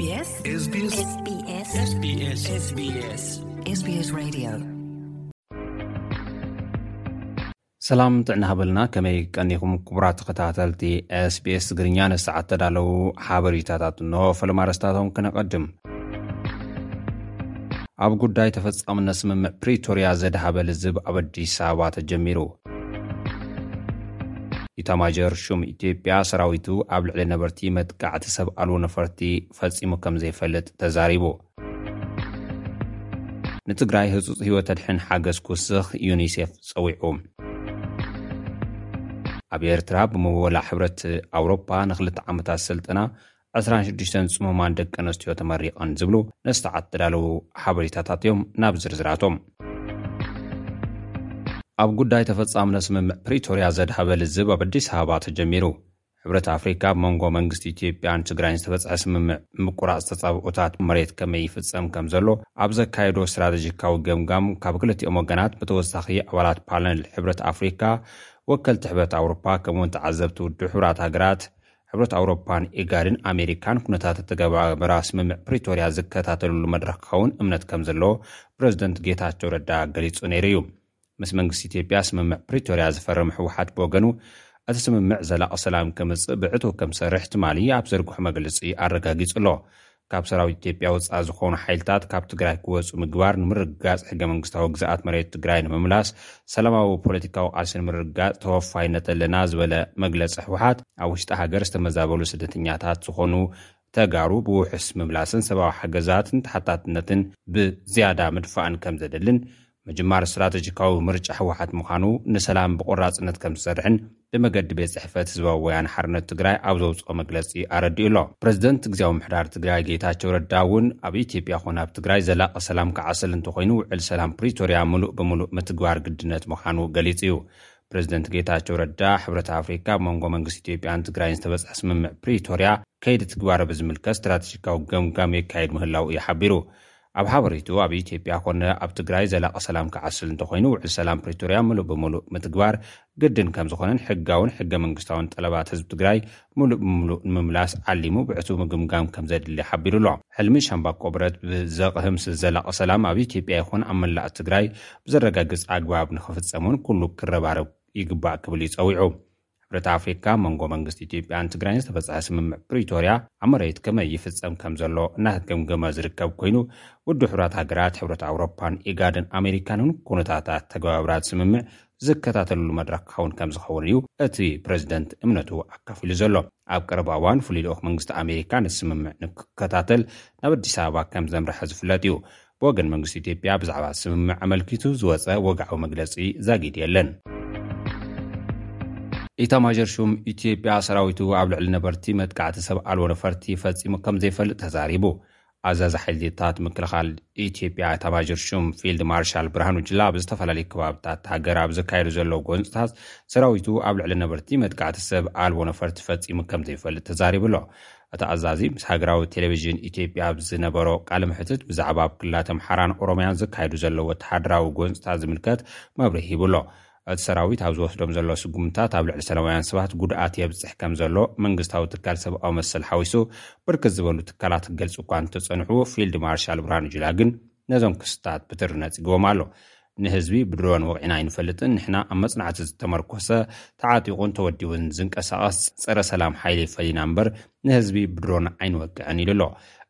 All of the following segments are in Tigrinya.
SBS SBS SBS SBS Radio. ሰላም ጥዕና ሃበልና። ከመይ ቀኒኹም ክቡራት ተኸታተልቲ SBS ትግርኛ? ንሰዓት ተዳለዉ ሓበሬታታት እንሆ። ፈለማ ኣርእስታቶም ክነቐድም። ኣብ ጉዳይ ተፈጻምነት ስምምዕ ፕሪቶርያ ዘድሃበ ልዝብ ኣብ ኣዲስ ኣበባ ተጀሚሩ። ኢታማዦር ሹም ኢትዮጵያ ሰራዊቱ ኣብ ልዕሊ ነበርቲ መጥቃዕቲ ሰብ ኣልቦ ነፈርቲ ፈጺሙ ከም ዘይፈልጥ ተዛሪቡ። ንትግራይ ህጹጽ ህይወት ተድሕን ሓገዝ ክውስኽ ዩኒሴፍ ጸዊዑ። ኣብ ኤርትራ ብምወላ ሕብረት ኣውሮፓ ንኽልተ ዓመታት ስልጠና ዕስራን ሽዱሽተን ጽሙማን ደቂ ኣንስትዮ ተመሪቐን ዝብሉ ንሰዓት ተዳለዉ ሓበሬታታት እዮም። ናብ ዝርዝራቶም። ኣብ ጉዳይ ተፈጻምነት ስምምዕ ፕሪቶርያ ዘድሃበ ልዝብ ኣብ ኣዲስ ኣበባ ተጀሚሩ። ሕብረት ኣፍሪካ ኣብ መንጎ መንግስቲ ኢትዮጵያን ትግራይን ዝተበጽሐ ስምምዕ ምቁራጽ ተጻብኦታት መሬት ከመይ ይፍጸም ከም ዘሎ ኣብ ዘካየዶ ስትራተጂካዊ ገምጋም ካብ ክልቲኦም ወገናት ብተወሳኺ ኣባላት ፓነል ሕብረት ኣፍሪካ፣ ወከልቲ ሕብረት ኣውሮፓ ከምኡውን ተዓዘብቲ ውድብ ሕቡራት ሃገራት፣ ሕብረት ኣውሮፓን ኢጋድን ኣሜሪካን ኩነታት ተተገባበራ ስምምዕ ፕሪቶርያ ዝከታተልሉ መድረኽ ክኸውን እምነት ከም ዘለዎ ፕረዚደንት ጌታቸው ረዳ ገሊጹ ነይሩ እዩ። ምስ መንግስቲ ኢትዮጵያ ስምምዕ ፕሪቶርያ ዝፈረመ ህወሓት ብወገኑ እቲ ስምምዕ ዘላቒ ሰላም ከምጽእ ብዕቱብ ከም ዝሰርሕ ትማሊ ኣብ ዘርግሖ መግለጺ ኣረጋጊጹ ኣሎ። ካብ ሰራዊት ኢትዮጵያ ወጻኢ ዝኾኑ ሓይልታት ካብ ትግራይ ክወጹ ምግባር ንምርግጋጽ ሕገ መንግስታዊ ግዝኣት መሬት ትግራይ ንምምላስ ሰላማዊ ፖለቲካዊ ቃልሲ ንምርግጋጽ ተወፋይነት ኣለና ዝበለ መግለጺ ህወሓት ኣብ ውሽጢ ሃገር ዝተመዛበሉ ስደተኛታት ዝኾኑ ተጋሩ ብውሑስ ምምላስን ሰብኣዊ ሓገዛትን ተሓታትነትን ብዝያዳ ምድፋእን ከም ዘደልን ምጅማር ስትራተጂካዊ ምርጫ ህወሓት ምዃኑ ንሰላም ብቆራጽነት ከም ዝሰርሕን ብመገዲ ቤት ጽሕፈት ህዝባዊ ወያነ ሓርነት ትግራይ ኣብ ዘውፅኦ መግለፂ ኣረዲኡ ኣሎ። ፕረዚደንት ግዝያዊ ምሕዳር ትግራይ ጌታቸው ረዳ እውን ኣብ ኢትዮጵያ ኮነ ኣብ ትግራይ ዘላቂ ሰላም ክዓስል እንተኮይኑ ውዕል ሰላም ፕሪቶርያ ምሉእ ብምሉእ ምትግባር ግድነት ምዃኑ ገሊጹ እዩ። ፕረዚደንት ጌታቸው ረዳ ሕብረት ኣፍሪካ ኣብ መንጎ መንግስቲ ኢትዮጵያን ትግራይን ዝተበፅሐ ስምምዕ ፕሪቶርያ ከይዲ ትግባረ ብዝምልከት ስትራተጂካዊ ገምጋም የካየድ ምህላው እዩ ሓቢሩ። ኣብ ሓበሬቱ ኣብ ኢትዮጵያ ኮነ ኣብ ትግራይ ዘላቂ ሰላም ክዓስል እንተኮይኑ ውዕል ሰላም ፕሪቶርያ ምሉእ ብምሉእ ምትግባር ግድን ከም ዝኾነን ሕጋውን ሕገ መንግስታውን ጠለባት ህዝቢ ትግራይ ምሉእ ብምሉእ ንምምላስ ዓሊሙ ብዕቱብ ምግምጋም ከም ዘድሊ ሓቢሩ ኣሎ። ሕልሚ ሻምባቆ ብረት ብዘቕህም ዘላቂ ሰላም ኣብ ኢትዮጵያ ይኹን ኣብ መላእ ትግራይ ብዘረጋግጽ ኣግባብ ንኽፍጸም እውን ኩሉ ክረባረብ ይግባእ ክብል እዩ ጸዊዑ። ሕብረት ኣፍሪካ መንጎ መንግስቲ ኢትዮጵያን ትግራይን ዝተበፅሐ ስምምዕ ፕሪቶርያ ኣብ መሬት ከመይ ይፍጸም ከም ዘሎ እናተገምገመ ዝርከብ ኮይኑ ውድብ ሕቡራት ሃገራት፣ ሕብረት ኣውሮፓን ኢጋድን ኣሜሪካንን ኩነታታት ተገባብራት ስምምዕ ዝከታተልሉ መድረኽ ክኸውን ከም ዝኸውን እዩ እቲ ፕረዚደንት እምነቱ ኣካፊሉ ዘሎ። ኣብ ቀረባ እዋን ፍሉይ ልኡኽ መንግስቲ ኣሜሪካ ነቲ ስምምዕ ንክከታተል ናብ ኣዲስ ኣበባ ከም ዘምርሐ ዝፍለጥ እዩ። ብወገን መንግስቲ ኢትዮጵያ ብዛዕባ ስምምዕ ኣመልኪቱ ዝወፀ ወግዓዊ መግለፂ ዛጊድ የለን። ኢታማዦር ሹም ኢትዮጵያ ሰራዊቱ ኣብ ልዕሊ ነበርቲ መጥቃዕቲ ሰብ ኣልቦ ነፈርቲ ፈጺሙ ከም ዘይፈልጥ ተዛሪቡ። ኣዛዚ ሓይልታት ምክልኻል ኢትዮጵያ ኢታማዦር ሹም ፊልድ ማርሻል ብርሃኑ ጁላ ኣብ ዝተፈላለዩ ከባብታት ሃገር ኣብ ዘካየዱ ዘለዉ ጎንፅታት ሰራዊቱ ኣብ ልዕሊ ነበርቲ መጥቃዕቲ ሰብ ኣልቦ ነፈርቲ ፈጺሙ ከም ዘይፈልጥ ተዛሪቡ ኣሎ። እቲ ኣዛዚ ምስ ሃገራዊ ቴሌቪዥን ኢትዮጵያ ኣብ ዝነበሮ ቃለ መሕትት ብዛዕባ ኣብ ክልላት ኣምሓራን ኦሮምያን ዘካየዱ ዘለዉ ወተሃደራዊ ጎንፅታት ዝምልከት መብርሂ ሂቡ ኣሎ። እቲ ሰራዊት ኣብ ዝወስዶም ዘሎ ስጉምታት ኣብ ልዕሊ ሰላማውያን ሰባት ጉድኣት የብፅሕ ከም ዘሎ መንግስታዊ ትካል ሰብኣዊ መሰል ሓዊሱ ብርክት ዝበሉ ትካላት ክገልፁ እኳ እንተፀንሑ ፊልድ ማርሻል ብርሃኑ ጁላ ግን ነዞም ክስታት ብትሪ ነፂግዎም ኣሎ። ንህዝቢ ብድሮን ወቒዕና ኣይንፈልጥን። ንሕና ኣብ መጽናዕቲ ዝተመርኮሰ ተዓጢቑን ተወዲቡን ዝንቀሳቐስ ጸረ ሰላም ሓይሊ ፈሊና እምበር ንህዝቢ ብድሮን ኣይንወቅዕን ኢሉ ኣሎ።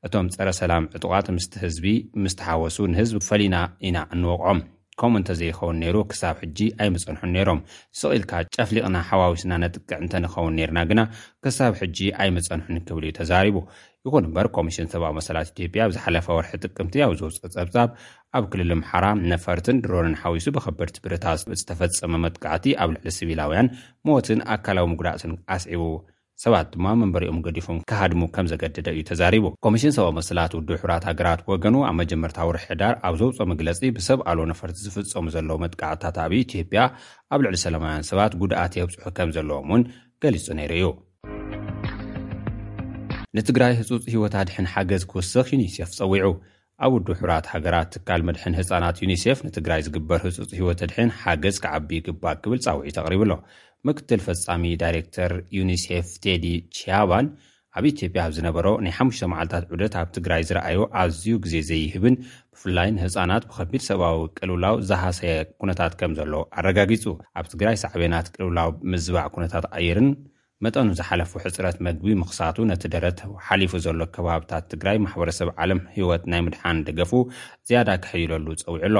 እቶም ጸረ ሰላም ዕጡቓት ምስቲ ህዝቢ ምስ ተሓወሱ ንህዝቢ ፈሊና ኢና እንወቕዖም። ከምኡ እንተዘይኸውን ነይሩ ክሳብ ሕጂ ኣይምጸንሑን ነይሮም። ስቕ ኢልካ ጨፍሊቕና ሓዋዊስና ነጥቅዕ እንተንኸውን ነይርና ግና ክሳብ ሕጂ ኣይምጸንሑን ክብል እዩ ተዛሪቡ። ይኹን እምበር ኮሚሽን ሰብኣዊ መሰላት ኢትዮጵያ ኣብ ዝሓለፈ ወርሒ ጥቅምቲ ኣብ ዘውፅኦ ጸብጻብ ኣብ ክልል ኣምሓራ ነፈርትን ድሮንን ሓዊሱ ብኸበድቲ ብረታት ዝተፈጸመ መጥቃዕቲ ኣብ ልዕሊ ሲቪላውያን ሞትን ኣካላዊ ምጉዳእትን ኣስዒቡ ሰባት ድማ መንበሪኦም ገዲፎም ክሃድሙ ከም ዘገደደ እዩ ተዛሪቡ። ኮሚሽን ሰብኣዊ መሰላት ውድብ ሕቡራት ሃገራት ብወገኑ ኣብ መጀመርታ ወርሒ ሕዳር ኣብ ዘውፅኦ መግለፂ ብሰብ ኣልቦ ነፈርቲ ዝፍጸሙ ዘለዉ መጥቃዕትታት ኣብ ኢትዮጵያ ኣብ ልዕሊ ሰላማውያን ሰባት ጉድኣት የብፅሑ ከም ዘለዎም እውን ገሊጹ ነይሩ እዩ። ንትግራይ ህጹጽ ህይወት ኣድሕን ሓገዝ ክውስኽ ዩኒሴፍ ጸዊዑ። ኣብ ውድብ ሕቡራት ሃገራት ትካል መድሕን ህጻናት ዩኒሴፍ ንትግራይ ዝግበር ህጹጽ ህይወት ኣድሕን ሓገዝ ክዓቢ ይግባእ ክብል ጻውዒት ኣቕሪቡ ኣሎ። ምክትል ፈጻሚ ዳይሬክተር ዩኒሴፍ ቴዲ ቺያባን ኣብ ኢትዮጵያ ኣብ ዝነበሮ ናይ ሓሙሽተ መዓልታት ዑደት ኣብ ትግራይ ዝረኣዮ ኣዝዩ ግዜ ዘይህብን ብፍላይ ንህፃናት ብከቢድ ሰብኣዊ ቅልውላው ዝሃሰየ ኩነታት ከም ዘሎ ኣረጋጊጹ። ኣብ ትግራይ ሳዕቤናት ቅልውላው ምዝባዕ ኩነታት ኣየርን መጠኑ ዝሓለፉ ሕፅረት መግቢ ምኽሳቱ ነቲ ደረት ሓሊፉ ዘሎ ከባብታት ትግራይ ማሕበረሰብ ዓለም ህይወት ናይ ምድሓን ደገፉ ዝያዳ ክሕይለሉ ጸዊዑ ኣሎ።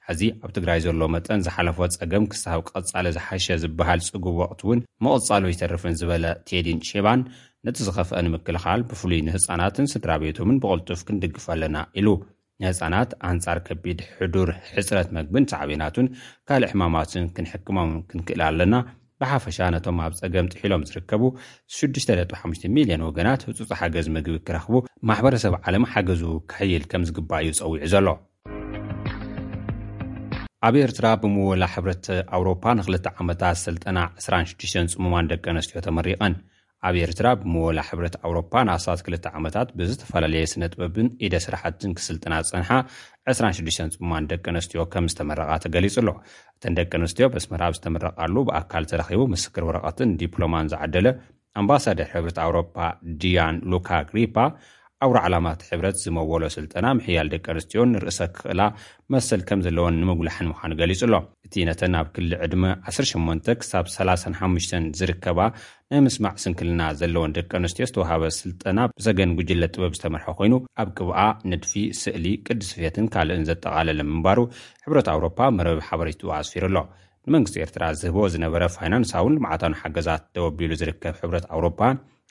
ሕዚ ኣብ ትግራይ ዘሎ መጠን ዝሓለፎ ጸገም ክሳብ ቀጻሊ ዝሓሸ ዝበሃል ጽጉብ ወቕቲ እውን ምቕጻሉ ይተርፍን ዝበለ ቴዲን ሼባን ነቲ ዝኸፍአ ንምክልኻል ብፍሉይ ንህፃናትን ስድራ ቤቶምን ብቕልጡፍ ክንድግፍ ኣለና ኢሉ። ንህፃናት ኣንጻር ከቢድ ሕዱር ሕፅረት መግብን ሳዕቤናቱን ካልእ ሕማማትን ክንሕክሞም ክንክእል ኣለና። ብሓፈሻ ነቶም ኣብ ጸገም ጥሒሎም ዝርከቡ ሽዱሽተ ነጥቢ ሓሙሽተ ሚልዮን ወገናት ህጹጽ ሓገዝ ምግቢ ክረኽቡ ማሕበረሰብ ዓለም ሓገዙ ክሕይል ከም ዝግባእ እዩ ጸዊዑ ዘሎ። ኣብ ኤርትራ ብምወላ ሕብረት ኣውሮፓ ንክልተ ዓመታት ስልጠና ዕስራን ሽዱሽተን ጽሙማን ደቂ ኣንስትዮ ተመሪቐን። ኣብ ኤርትራ ብምወላ ሕብረት ኣውሮፓ ንኣስታት ክልተ ዓመታት ብዝተፈላለየ ስነ ጥበብን ኢደ ስራሕትን ክስልጥና ዝጸንሓ ዕስራን ሽዱሽተን ጽሙማን ደቂ ኣንስትዮ ከም ዝተመረቓ ተገሊጹ ኣሎ። እተን ደቂ ኣንስትዮ በስመራ ኣብ ዝተመረቓሉ ብኣካል ተረኺቡ ምስክር ወረቐትን ዲፕሎማን ዝዓደለ ኣምባሳደር ሕብረት ኣውሮፓ ዲያን ሉካ ግሪፓ፣ ኣውራ ዕላማ እቲ ሕብረት ዝመወሎ ስልጠና ምሕያል ደቂ ኣንስትዮን ርእሰ ክኽእላ መሰል ከም ዘለወን ንምጉላሕን ምዃኑ ገሊጹ ኣሎ። እቲ ነተን ኣብ ክሊ ዕድመ ዓሰርተ ሸሞንተ ክሳብ ሰላሳን ሓሙሽተን ዝርከባ ናይ ምስማዕ ስንክልና ዘለወን ደቂ ኣንስትዮ ዝተዋሃበ ስልጠና ብሰገን ጉጅለ ጥበብ ዝተመርሐ ኮይኑ፣ ኣብ ቅብኣ፣ ንድፊ፣ ስእሊ፣ ቅዲ ስፌትን ካልእን ዘጠቓለለ ምንባሩ ሕብረት ኣውሮፓ መርበብ ሓበሬትኡ ኣስፊሩ ኣሎ። ንመንግስቲ ኤርትራ ዝህቦ ዝነበረ ፋይናንሳውን ልምዓታውን ሓገዛት ደው ኣቢሉ ዝርከብ ሕብረት ኣውሮፓ፣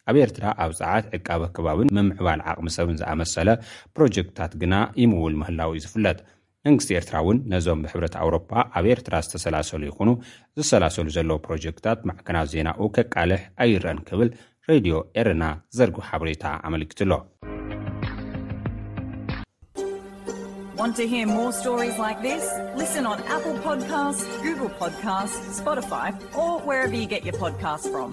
ኣብ ኤርትራ ኣብ ጸዓት ዕቃበ ከባብን ምምዕባል ዓቕሚ ሰብን ዝኣመሰለ ፕሮጀክትታት ግና ይምውል ምህላው እዩ ዝፍለጥ። መንግስቲ ኤርትራ እውን ነዞም ብሕብረት ኣውሮፓ ኣብ ኤርትራ ዝተሰላሰሉ ይኹኑ ዝሰላሰሉ ዘለዉ ፕሮጀክትታት ማዕከናት ዜናኡ ከቃልሕ ኣይረን ክብል ሬድዮ ኤረና ዘርግሑ ሓበሬታ ኣመልኪቱ ኣሎ። Want to hear more stories like this? Listen on Apple Podcasts, Google Podcasts, Spotify, or wherever you get your podcasts from.